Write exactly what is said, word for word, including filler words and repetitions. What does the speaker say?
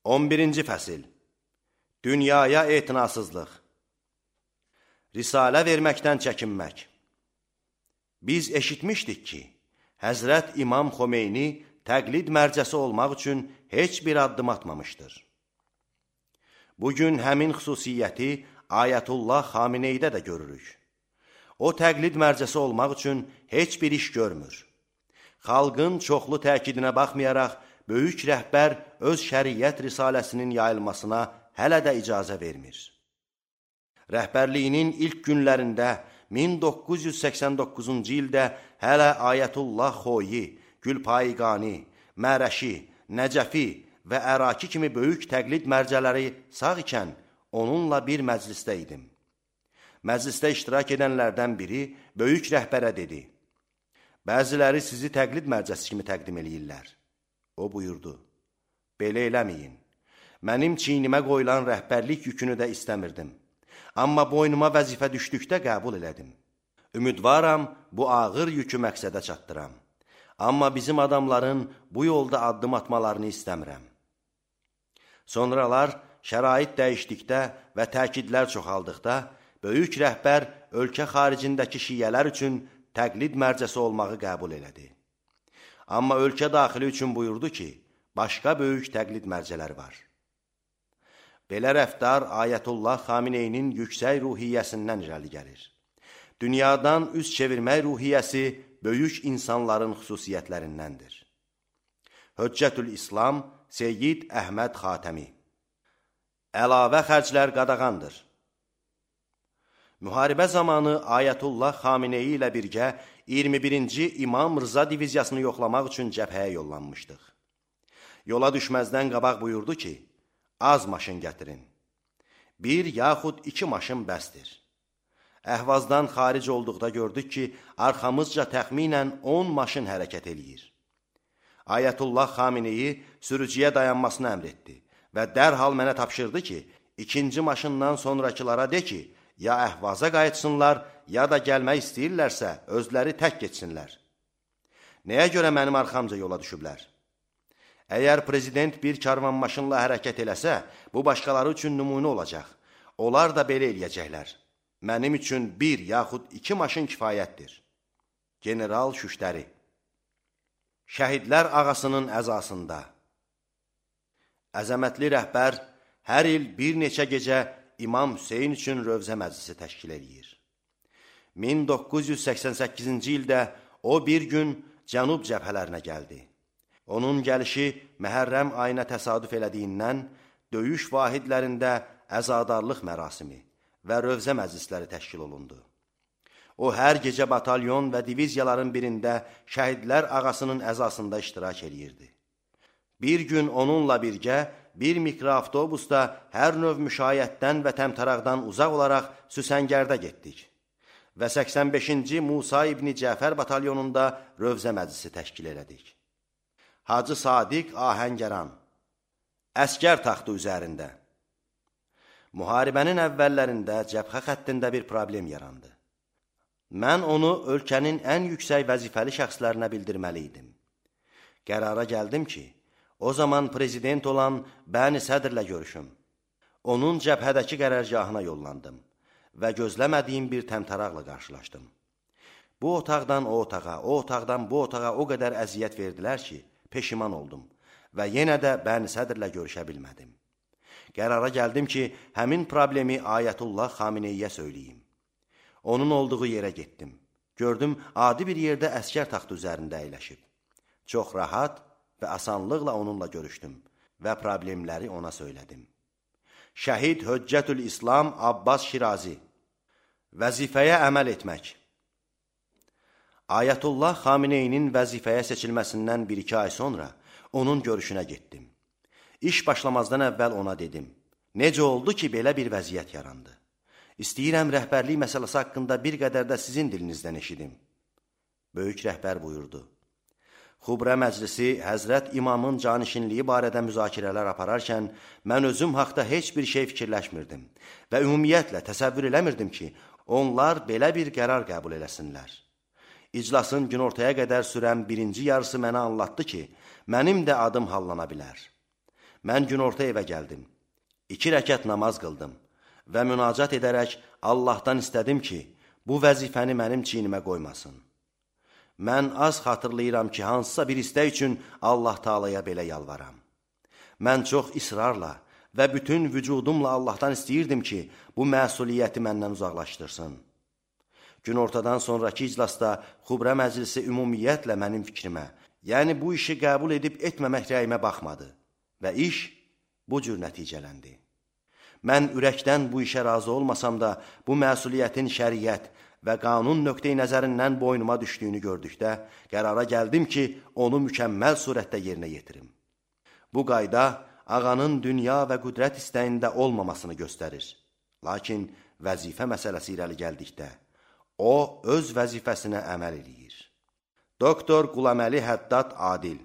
on birinci fəsil. Dünyaya etinasızlıq. Risalə verməkdən çəkinmək. Biz eşitmişdik ki, Həzrət İmam Xomeyni təqlid mərcəsi olmaq üçün heç bir addım atmamışdır. Bugün həmin xüsusiyyəti Ayətullah Xameneydə də görürük. O təqlid mərcəsi olmaq üçün heç bir iş görmür. Xalqın çoxlu təkidinə baxmayaraq, böyük rəhbər öz şəriyyət risaləsinin yayılmasına hələ də icazə vermir. Rəhbərliyinin ilk günlərində min doqquz yüz səksən doqquzuncu ildə hələ Ayətullah Xoyi, Gülpayqani, Mərəşi, Nəcəfi və Əraki kimi böyük təqlid mərcələri sağ ikən onunla bir məclisdə idim. Məclisdə iştirak edənlərdən biri böyük rəhbərə dedi: "Bəziləri sizi təqlid mərcəsi kimi təqdim eləyirlər." O buyurdu: "Belə eləməyin. Mənim çiynimə qoyulan rəhbərlik yükünü də istəmirdim. Amma boynuma vəzifə düşdükdə qəbul elədim. Ümidvaram, bu ağır yükü məqsədə çatdıram. Amma bizim adamların bu yolda addım atmalarını istəmirəm." Sonralar şərait dəyişdikdə və təkidlər çoxaldıqda, böyük rəhbər ölkə xaricindəki şiyələr üçün təqlid mərcəsi olmağı qəbul elədi. Amma ölkə daxili üçün buyurdu ki, başqa böyük təqlid mərcələri var. Belə rəftar Ayətullah Xameneyinin yüksək ruhiyyəsindən irəli gəlir. Dünyadan üz çevirmək ruhiyyəsi böyük insanların xüsusiyyətlərindəndir. Höccətül İslam Seyyid Əhməd Xatəmi. Əlavə xərclər qadağandır. Müharibə zamanı Ayətullah Xameneyi ilə birgə iyirmi birinci İmam Rıza diviziyasını yoxlamaq üçün cəbhəyə yollanmışdıq. Yola düşməzdən qabaq buyurdu ki, az maşın gətirin. Bir yaxud iki maşın bəsdir. Əhvazdan xaric olduqda gördük ki, arxamızca təxminən on maşın hərəkət eləyir. Ayətullah Xameneyi sürücüyə dayanmasını əmr etdi və dərhal mənə tapşırdı ki, ikinci maşından sonrakılara de ki, ya Əhvaza qayıtsınlar, ya da gəlmək istəyirlərsə, özləri tək geçsinlər. Nəyə görə mənim arxamca yola düşüblər? Əgər prezident bir karvan maşınla hərəkət eləsə, bu başqaları üçün nümunə olacaq. Onlar da belə eləyəcəklər. Mənim üçün bir yaxud iki maşın kifayətdir. General Şüştəri. Şəhidlər ağasının əzasında. Əzəmətli rəhbər hər il bir neçə gecə İmam Hüseyin üçün Rövzə məclisi təşkil edir. min doqquz yüz səksən səkkizinci ildə o bir gün cənub cəbhələrinə gəldi. Onun gəlişi Məhərrəm ayına təsadüf elədiyindən döyüş vahidlərində əzadarlıq mərasimi və Rövzə məclisləri təşkil olundu. O, hər gecə batalyon və diviziyaların birində şəhidlər ağasının əzasında iştirak edirdi. Bir gün onunla birgə bir mikroavtobusda hər növ müşayiətdən və təmtəraqdan uzaq olaraq Süsəngərdə getdik və səksən beşinci Musa İbni Cəfər batalyonunda Rövzə məclisi təşkil elədik. Hacı Sadiq Ahəngəran. Əskər taxtı üzərində. Müharibənin əvvəllərində cəbhə xəttində bir problem yarandı. Mən onu ölkənin ən yüksək vəzifəli şəxslərinə bildirməli idim. Qərara gəldim ki, o zaman prezident olan Bəni Sədrlə görüşüm. Onun cəbhədəki qərargahına yollandım və gözləmədiyim bir təmtəraqla qarşılaşdım. Bu otaqdan o otağa, o otaqdan bu otağa o qədər əziyyət verdilər ki, peşiman oldum və yenə də Bəni Sədrlə görüşə bilmədim. Qərara gəldim ki, həmin problemi Ayətullah Xameneyiyə söyləyim. Onun olduğu yerə getdim. Gördüm, adi bir yerdə əskər taxtı üzərində əyləşib. Çox rahat və asanlıqla onunla görüşdüm və problemləri ona söylədim. Şəhid Höccətül İslam Abbas Şirazi. Vəzifəyə əməl etmək. Ayətullah Xameneyinin vəzifəyə seçilməsindən bir-iki ay sonra onun görüşünə getdim. İş başlamazdan əvvəl ona dedim: "Necə oldu ki, belə bir vəziyyət yarandı? İstəyirəm rəhbərlik məsələsi haqqında bir qədər də sizin dilinizdən eşidim." Böyük rəhbər buyurdu: Xubrə məclisi Həzrət İmamın canişinliyi barədə müzakirələr apararkən mən özüm haqda heç bir şey fikirləşmirdim və ümumiyyətlə təsəvvür eləmirdim ki, onlar belə bir qərar qəbul eləsinlər. İclasın günortaya qədər sürən birinci yarısı mənə anlattı ki, mənim də adım hallana bilər. Mən günorta evə gəldim. İki rəkət namaz qıldım və münacat edərək Allahdan istədim ki, bu vəzifəni mənim çiynimə qoymasın. Mən az xatırlayıram ki, hansısa bir istək üçün Allah Taalaya belə yalvaram. Mən çox israrla və bütün vücudumla Allahdan istəyirdim ki, bu məsuliyyəti məndən uzaqlaşdırsın. Günortadan sonraki iclasda Xubrə məclisi ümumiyyətlə mənim fikrimə, yəni bu işi qəbul edib etməmək rəyimə baxmadı və iş bu cür nəticələndi. Mən ürəkdən bu işə razı olmasam da, bu məsuliyyətin şəriət və qanun nöqteyi nəzərindən boynuma düşdüyünü gördükdə, qərara gəldim ki, onu mükəmməl surətdə yerinə yetirim. Bu qayda ağanın dünya və qüdrət istəyində olmamasını göstərir. Lakin vəzifə məsələsi irəli gəldikdə, o öz vəzifəsinə əməl eləyir. Doktor Qulaməli Həddad Adil